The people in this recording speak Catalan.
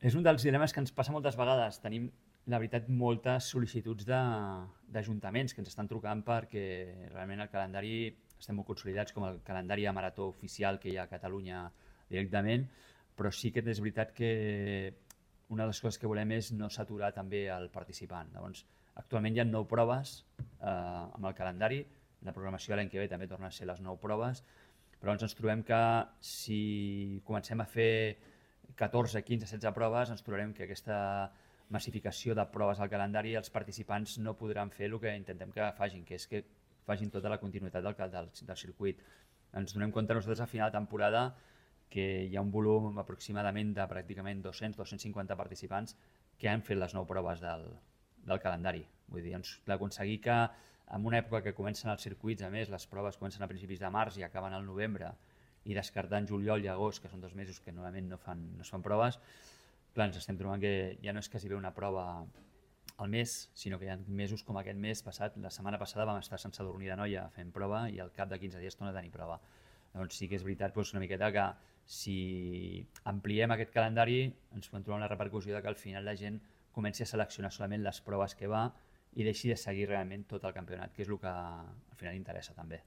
És un dels dilemes que ens passa moltes vegades. Tenim, la veritat, moltes sol·licituds d'ajuntaments que ens estan trucant perquè realment el calendari estem molt consolidats com el calendari de marató oficial que hi ha a Catalunya directament, però sí que és veritat que una de les coses que volem és no saturar també el participant. Llavors, actualment hi ha 9 proves amb el calendari, la programació l'any que ve també torna a ser les 9 proves, però ens trobem que si comencem a fer 14, 15, 16 proves, ens trobarem que aquesta massificació de proves al calendari els participants no podran fer el que intentem que facin, que és que facin tota la continuïtat del circuit. Ens donem compte nosaltres a final de temporada que hi ha un volum aproximadament de pràcticament 200-250 participants que han fet les 9 proves del calendari. Vull dir, d'aconseguir que en una època que comencen els circuits, a més, les proves comencen a principis de març i acaben al novembre, i descartant juliol i agost, que són 2 mesos que normalment no es fan proves, clar, ens estem trobant que ja no és quasi bé una prova al mes, sinó que hi ha mesos com aquest mes passat. La setmana passada vam estar a Sant Sadurní d'Anoia fent prova i al cap de 15 dies torna a tenir prova. Llavors sí que és veritat una miqueta que si ampliem aquest calendari ens podem trobar una repercussió de que al final la gent comenci a seleccionar solament les proves que va i deixi de seguir realment tot el campionat, que és el que al final interessa també.